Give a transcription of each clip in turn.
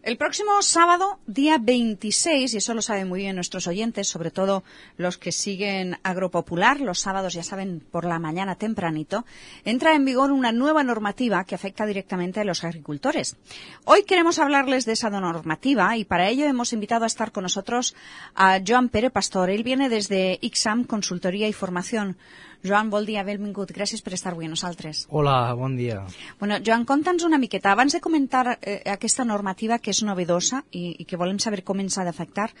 El próximo sábado, día 26, y eso lo saben muy bien nuestros oyentes, sobre todo los que siguen Agropopular, los sábados, ya saben, por la mañana tempranito, entra en vigor una nueva normativa que afecta directamente a los agricultores. Hoy queremos hablarles de esa normativa y para ello hemos invitado a estar con nosotros a Joan Pere Pastor. Él viene desde ICSAM, Consultoria i Formació. Joan, bon dia, benvingut. Gràcies per estar avui a nosaltres. Hola, bon dia. Bueno, Joan, conta'ns una miqueta. Abans de comentar aquesta normativa que és novedosa i que volem saber com ens ha d'afectar,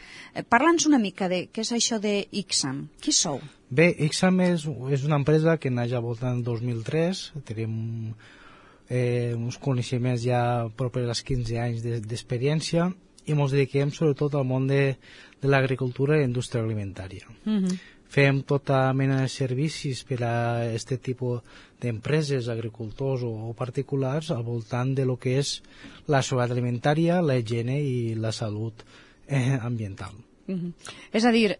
parla'ns una mica de què és això de ICSAM. Qui sou? Bé, ICSAM és una empresa que neix al voltant del 2003. Tenim uns coneixements ja propers als 15 anys d'experiència i ens dediquem sobretot al món de l'agricultura i la indústria alimentària. Fem tota mena de servicis per a aquest tipus d'empreses, agricultors o particulars al voltant de lo que és la seguretat alimentària, la higiene i la salut ambiental. És a dir,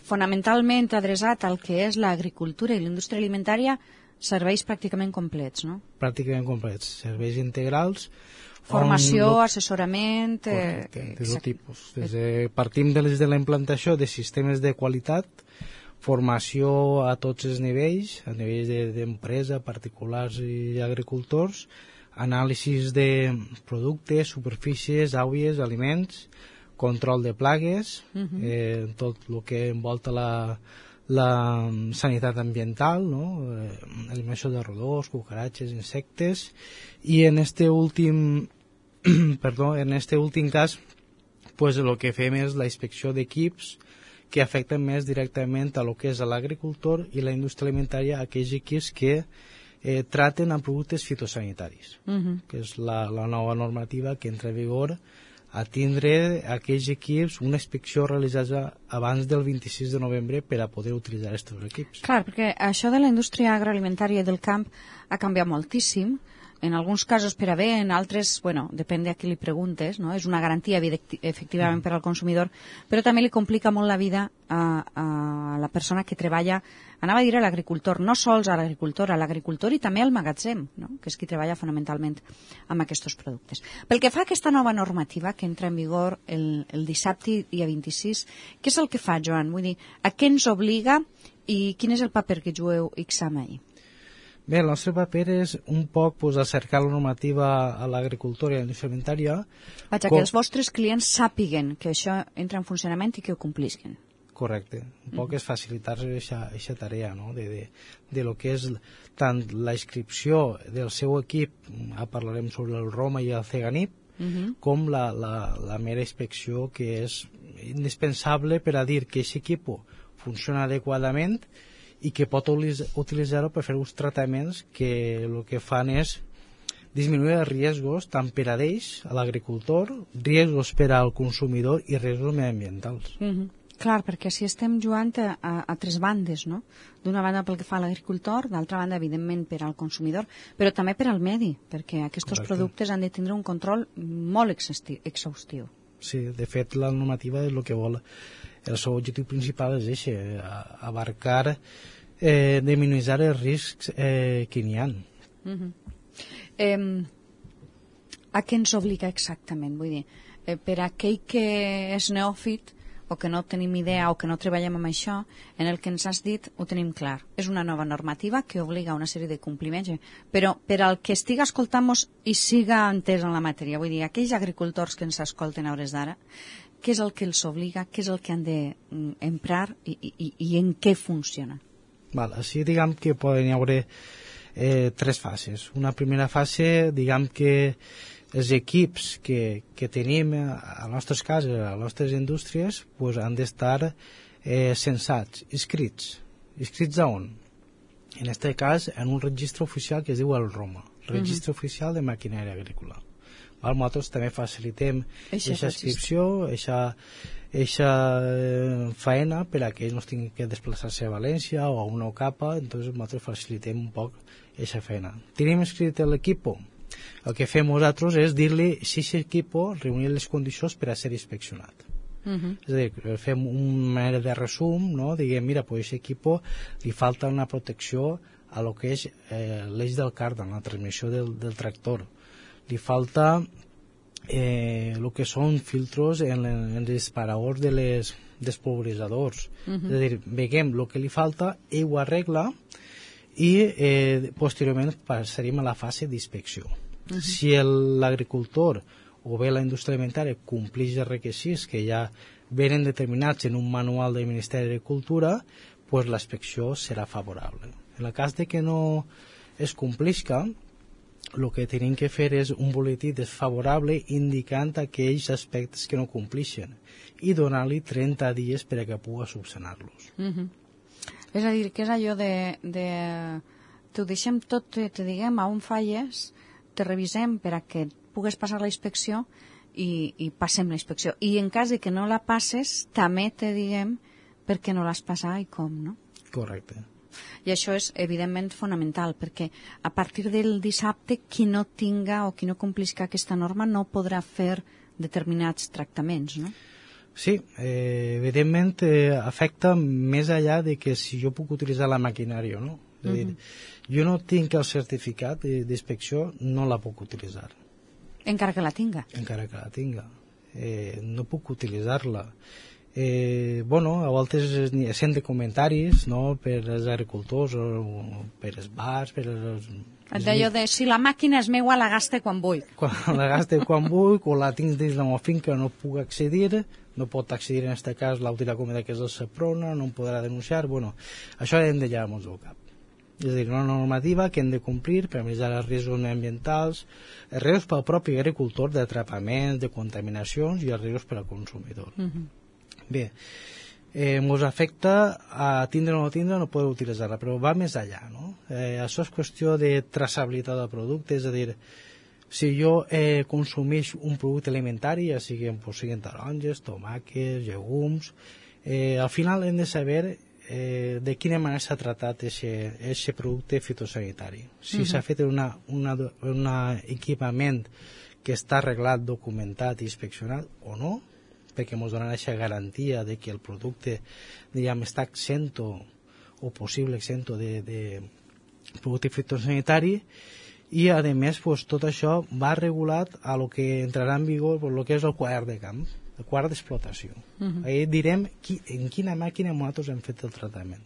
fonamentalment adreçat al que és l'agricultura i la indústria alimentària, serveis pràcticament complets, no? Pràcticament complets, serveis integrals. Formació, assessorament... Correcte, de tot tipus. Partim des de la implantació de sistemes de qualitat, formació a tots els nivells, a nivells d'empresa, particulars i agricultors, anàlisis de productes, superfícies, aigües, aliments, control de plagues, tot el que envolta la sanitat ambiental, no? Eliminació de roïns, cucaratges, insectes, i en este últim cas, pues, el que fem és la inspecció d'equips que afecten més directament a lo que és l'agricultor i la indústria alimentària, aquells equips que traten amb productes fitosanitaris, que és la nova normativa que entra en vigor a tindre aquells equips una inspecció realitzada abans del 26 de novembre per a poder utilitzar aquests equips. Clar, perquè això de la indústria agroalimentària i del camp ha canviat moltíssim, en alguns casos per a bé, en altres, bueno, depèn de a qui li preguntes, no? És una garantia, efectivament, per al consumidor, però també li complica molt la vida a la persona que treballa, anava a dir a l'agricultor, no sols a l'agricultor i també al magatzem, no? Que és qui treballa fonamentalment amb aquests productes. Pel que fa a aquesta nova normativa que entra en vigor el dissabte, dia 26, què és el que fa, Joan? Vull dir, a què ens obliga i quin és el paper que jugueu ICSAM ahir? Bé, el nostre paper és un poc acercar la normativa a l'agricultura i a la indústria alimentària. Vaja, que els vostres clients sàpiguen que això entra en funcionament i que ho complisquen. Correcte. Un poc és facilitar aquesta tarea, no? De lo que és tant la inscripció del seu equip, parlarem sobre el Roma i el Ceganip, com la mera inspecció, que és indispensable per a dir que aquest equip funciona adequadament i que pot utilitzar-ho per fer uns tractaments que el que fan és disminuir els riscos tant per a ells, a l'agricultor, riscos per al consumidor i riscos mediambientals. Clar, perquè si estem jugant a tres bandes, no? D'una banda pel que fa a l'agricultor, d'altra banda, evidentment, per al consumidor, però també per al medi, perquè aquests productes han de tindre un control molt exhaustiu. Sí, de fet, la normativa és el que vol. El seu objectiu principal és abarcar, minimitzar els riscs que n'hi ha. A què ens obliga exactament? Vull dir, per a aquell que és neòfit o que no tenim idea o que no treballem amb això, en el que ens has dit ho tenim clar. És una nova normativa que obliga a una sèrie de compliments, però per al que estiga escoltant-nos i siga entès en la matèria, vull dir, aquells agricultors que ens escolten a hores d'ara, què és el que els obliga, què és el que han d'emprar i en què funciona? Així diguem que poden hi haver tres fases. Una primera fase, diguem que els equips que tenim a les nostres cases, a les nostres indústries, han d'estar censats, inscrits. Inscrits a on? En aquest cas, en un registre oficial que es diu el ROMA, Registre Oficial de Maquinària Agrícola. Nosaltres també facilitem aquesta inscripció, aquesta feina per a que ells no tinguin que desplaçar-se a València o a una capa, doncs nosaltres facilitem un poc aquesta feina. Tenim inscrit l'equip? El que fem nosaltres és dir-li si aquest equip reunir les condicions per a ser inspeccionat. És a dir, fem un manera de resum, no? Diguem, mira, aquest equip li falta una protecció a lo que és l'eix del càrdan, la transmissió del tractor. Li falta el que són filtros en els disparadors dels polvoritzadors. És a dir, veiem el que li falta, ell ho arregla i posteriorment passaríem a la fase d'inspecció. Si l'agricultor o bé la indústria alimentària compleix els requisits que ja venen determinats en un manual del Ministeri d'Agricultura, pues l'inspecció serà favorable. En el cas de que no es complisca, el que tenim que fer és un boletí desfavorable indicant aquells aspectes que no complixen i donar-li 30 dies perquè pugui subsanar-los. És a dir, que és allò de t'ho deixem tot, te diguem a on falles, te revisem per a que pugues passar la inspecció i passem la inspecció. I en cas de que no la passes, també te diguem per què no l'has passat i com, no? Correcte. I això és, evidentment, fonamental, perquè a partir del dissabte, qui no tinga o qui no complisca aquesta norma no podrà fer determinats tractaments, no? Sí, evidentment afecta més enllà de que si jo puc utilitzar la maquinària o no. És a dir, jo no tinc el certificat d'inspecció, no la puc utilitzar. Encara que la tinga. Encara que la tinga. No puc utilitzar-la. A voltes sent de comentaris, no?, per als agricultors o per als bars, per als... D'allò de si la màquina és meua la gaste quan vull. La gaste quan vull, o la tinc dins la meva finca, no puc accedir, no pot accedir en aquest cas l'autoritat competenta que és el SEPRONA, no em podrà denunciar, això hem de llevar-nos del cap. És a dir, una normativa que hem de complir per minimitzar els riscos ambientals, els riscos pel propi agricultor d'atrapaments, de contaminacions i els riscos per al consumidor. Bé, ens afecta a tindre o no tindre, no poder utilitzar-la, però va més enllà, no? Això és qüestió de traçabilitat del producte, és a dir, si jo consumeix un producte alimentari, ja siguin taronges, tomàquets, llegums, al final hem de saber de quina manera s'ha tratat aquest producte fitosanitari. Si s'ha fet un equipament que està arreglat, documentat i inspeccionat o no, perquè ens donen aquesta garantia de que el producte, diguem, està exento o possible exento de producte fitosanitari, i a més tot això va regulat a lo que entrarà en vigor el que és el quadern de camp, el quadern d'explotació. Ahí direm en quina màquina nosaltres hem fet el tractament.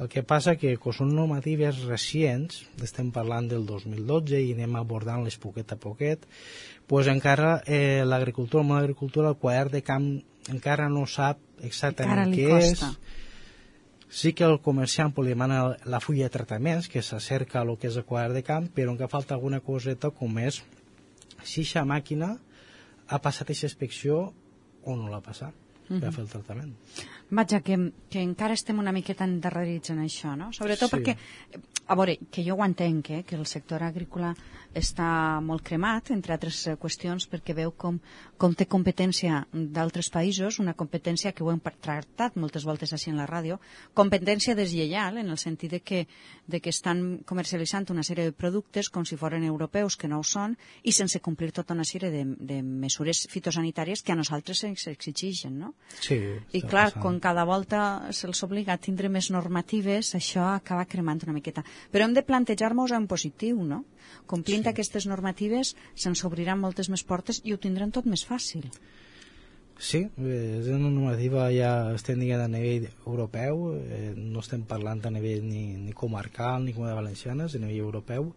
El que passa que són normatives recents, estem parlant del 2012 i anem abordant-les poquet a poquet, doncs encara l'agricultura, el món d'agricultura, el quadern de camp encara no sap exactament què és. Sí que el comerciant li demana la fulla de tractaments, que s'acerca a lo que és el quadern de camp, però encara falta alguna coseta com és si aquesta màquina ha passat aquesta inspecció o no l'ha passat per fer el tractament. Vaja, que encara estem una miqueta endarrerits en això, no? Sobretot perquè, a veure, que jo ho entenc, que el sector agrícola està molt cremat, entre altres qüestions, perquè veu com té competència d'altres països, una competència que ho hem tractat moltes voltes així en la ràdio, competència deslleial, en el sentit de que estan comercialitzant una sèrie de productes com si foren europeus, que no ho són, i sense complir tota una sèrie de mesures fitosanitàries que a nosaltres ens exigeixen, no? Sí, i clar, quan cada volta se'ls obliga a tindre més normatives, això acaba cremant una miqueta. Però hem de plantejar-nos en positiu, no? Complint aquestes normatives se'ns obriran moltes més portes i ho tindrem tot més fàcil. Sí, és una normativa ja estem dient a nivell europeu, no estem parlant a nivell ni comarcal ni Comunitat Valenciana, és a nivell europeu,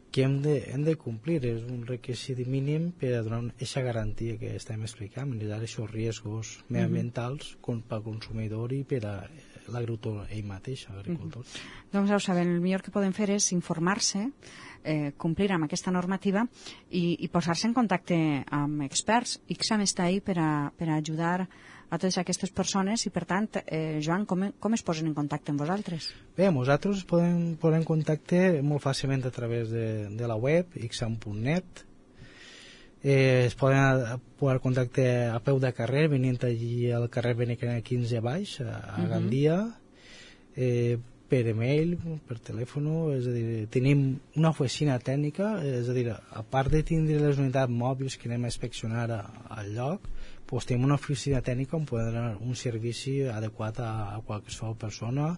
que hem de complir, és un requisit mínim per a donar aquesta garantia que estem explicant, minimitzar aquests riscos mediambientals pel consumidor i per a l'agricultor ell mateix, l'agricultor. Doncs ja ho saben, el millor que poden fer és informar-se, complir amb aquesta normativa i posar-se en contacte amb experts. ICSAM està ahí per a ajudar a totes aquestes persones i, per tant, Joan, com es posen en contacte amb vosaltres? Bé, nosaltres podem posar en contacte molt fàcilment a través de la web, icsam.net. Es poden posar contacte a peu de carrer, venint allí al carrer Benecana 15 baix, a Gandia, per e-mail, per telèfon, és a dir, tenim una oficina tècnica, és a dir, a part de tindre les unitats mòbils que anem a inspeccionar al lloc, doncs tenim una oficina tècnica on podem donar un servici adequat a qualsevol persona.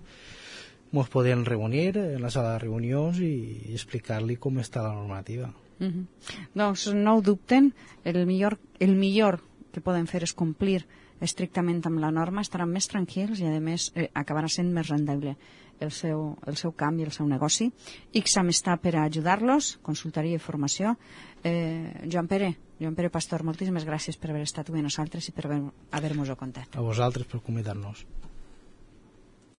Ens podem reunir en la sala de reunions i explicar-li com està la normativa. Doncs no ho dubten, el millor que poden fer és complir estrictament amb la norma, estaran més tranquils i a més acabarà sent més rendible el seu camp i el seu negoci. ICSAM està per a ajudar-los, consultoria i formació. Joan Pere Pastor, moltíssimes gràcies per haver estat avui amb nosaltres i per haver-nos-ho contat. A vosaltres per convidar-nos.